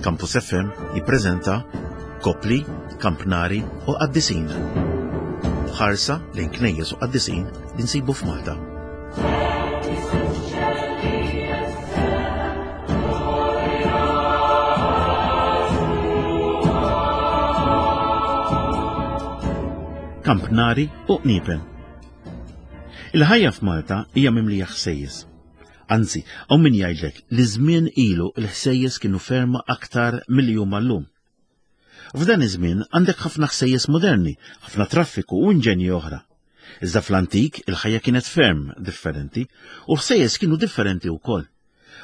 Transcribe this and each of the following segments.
Campus FM jippreżenta Kopli, Kampnari u Qaddisin. Ħarsa lejn knejjes u qaddisin li nsibu f'Malta. Kampnari u qniepen. Il-ħajja f'Malta hija mimlija ħsejjes. Anzi, hawn min jgħidlek li żmien ilu l-ħsejjes kienu ferma aktar milli huma llum. F'dan iż-żmien għandek ħafna ħsejjes moderni, ħafna traffiku u inġenji oħra. Iżda fl-antik il-ħajja kienet ferm differenti u l-ħsejjes kienu differenti wkoll.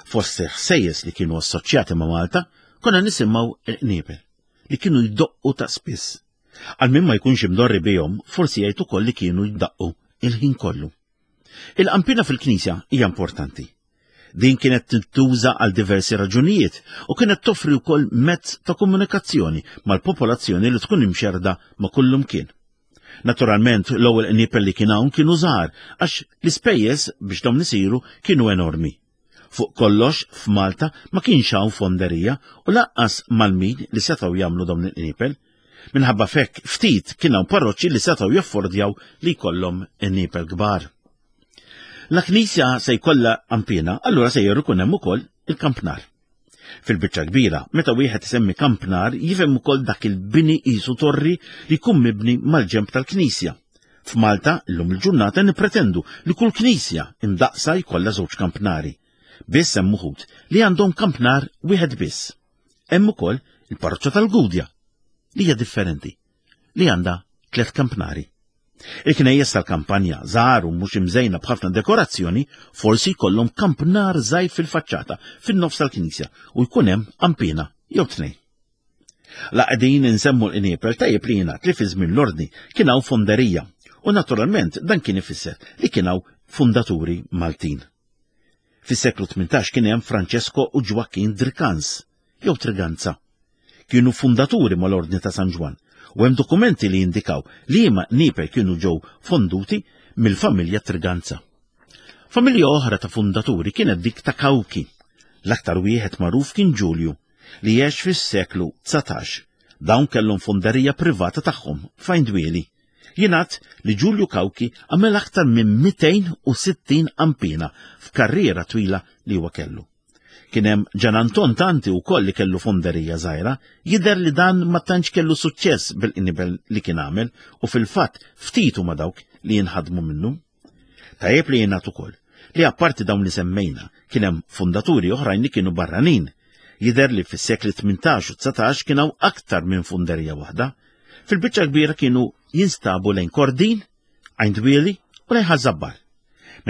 Fost il-ħsejjes li kienu assoċjati ma' Malta, konna nisimgħu il-qniepel li kienu jdoqqu ta' spiss. Għal min ma jkunx imdorri bihom, forsi jgħid ukoll li kienu jdaqqu il-ħin kollu. Il-qampina fil-knisja hija importanti. Din kienet tintuża għal diversi raġunijiet u kienet toffri wkoll mezz ta' komunikazzjoni mal-popolazzjoni li tkun imxerda ma' kullumkien. Naturalment, l-ewwel qniepel li kien hawn kienu żgħar għax l-ispejjeż biex dawn isiru kienu enormi. Fuq kollox, f'Malta ma kienx hawn fonderija u lanqas Malmin li setgħu jagħmlu dawn il-qniepel. Minħabba f'hekk ftit kien hawn parroċċi li setgħu jaffordjaw li jkollhom qniepel kbar. La knisja se jkollha qanpiena, allura sejjer ikun hemm ukoll il-kampnar. Fil-biċċa kbira, meta wieħed isemmi kampnar jifhem ukoll dak il-bini qisu torri li jkun mibni mal-ġenb tal-knisja. F'Malta, illum il-ġurnata nippretendu li kull knisja imdaqqsa jkollha żewġ kampnari. Biss hemm uħud li għandhom kampnar wieħed biss. Hemm ukoll il-parroċċa tal-Gudja, li hija differenti, li għandha tliet kampnari. Il-knejjes tal-kampanja, żgħar u mhux imżejna b'ħafna dekorazzjoni, forsi jkollhom kampnar żgħir fil-faċċata, fin-nofs tal-knisja, u jkun hemm qanpiena jew tnejn. La qegħdin insemmu l-qniepel tajjeb li jingħad li fi żmien l-Ordni kien hawn fonderija u naturalment dan kien ifisser li kien hawn fundaturi Maltin. Fis-seklu 18 kien hemm Francesco u Ġwakkin Drikans jew Triganza. Kienu fundaturi mal-Ordni ta' San Ġwann u hemm dokumenti li jindikaw li liema qniepel kienu ġew fonduti mill-familja Triganza. Familja oħra ta' fundaturi kienet dik ta' Cauchi. L-aktar wieħed magħruf kien Ġulju, li għex fis-seklu 19. Dawn kellhom fonderija privata tagħhom f'Għajn Dwieli. Jingħad li Ġulju Cauchi għamel aktar minn 260 qanpiena f'karriera twila li huwa kellu. Kien hemm Ġan Anton Tanti wkoll li kellu fonderija żgħira, jidher li dan ma tantx kellu suċċess bil-qnibel li kien għamel u fil-fatt ftit huma dawk li jinħadmu minnu. Tajjeb li jingħad ukoll li apparti dawn li semmejna kien hemm fundaturi oħrajn li kienu barranin. Jidher li fis-sekli 18 u 19 kien hawn aktar minn funderija waħda. Fil-biċċa kbira kienu jinstabu lejn Kordin, Għajn Dwieli u lejn Ħaż-Żabbar.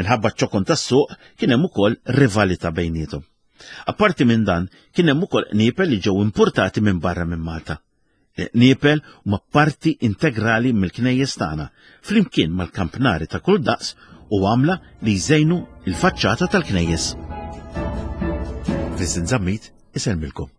Minħabba ċ-ċokon tas-suq kien hemm ukoll rivalità bejniethom. Apparti minn dan kien hemm ukoll qniepel li ġew importati minn barra minn Malta. Il-qniepel huma parti integrali mill-knejjes tagħna, flimkien mal-kampnari ta' kull daqs u għamla li jżejnu l-faċċata tal-knejjes. Vincent Zammit isellmilkom.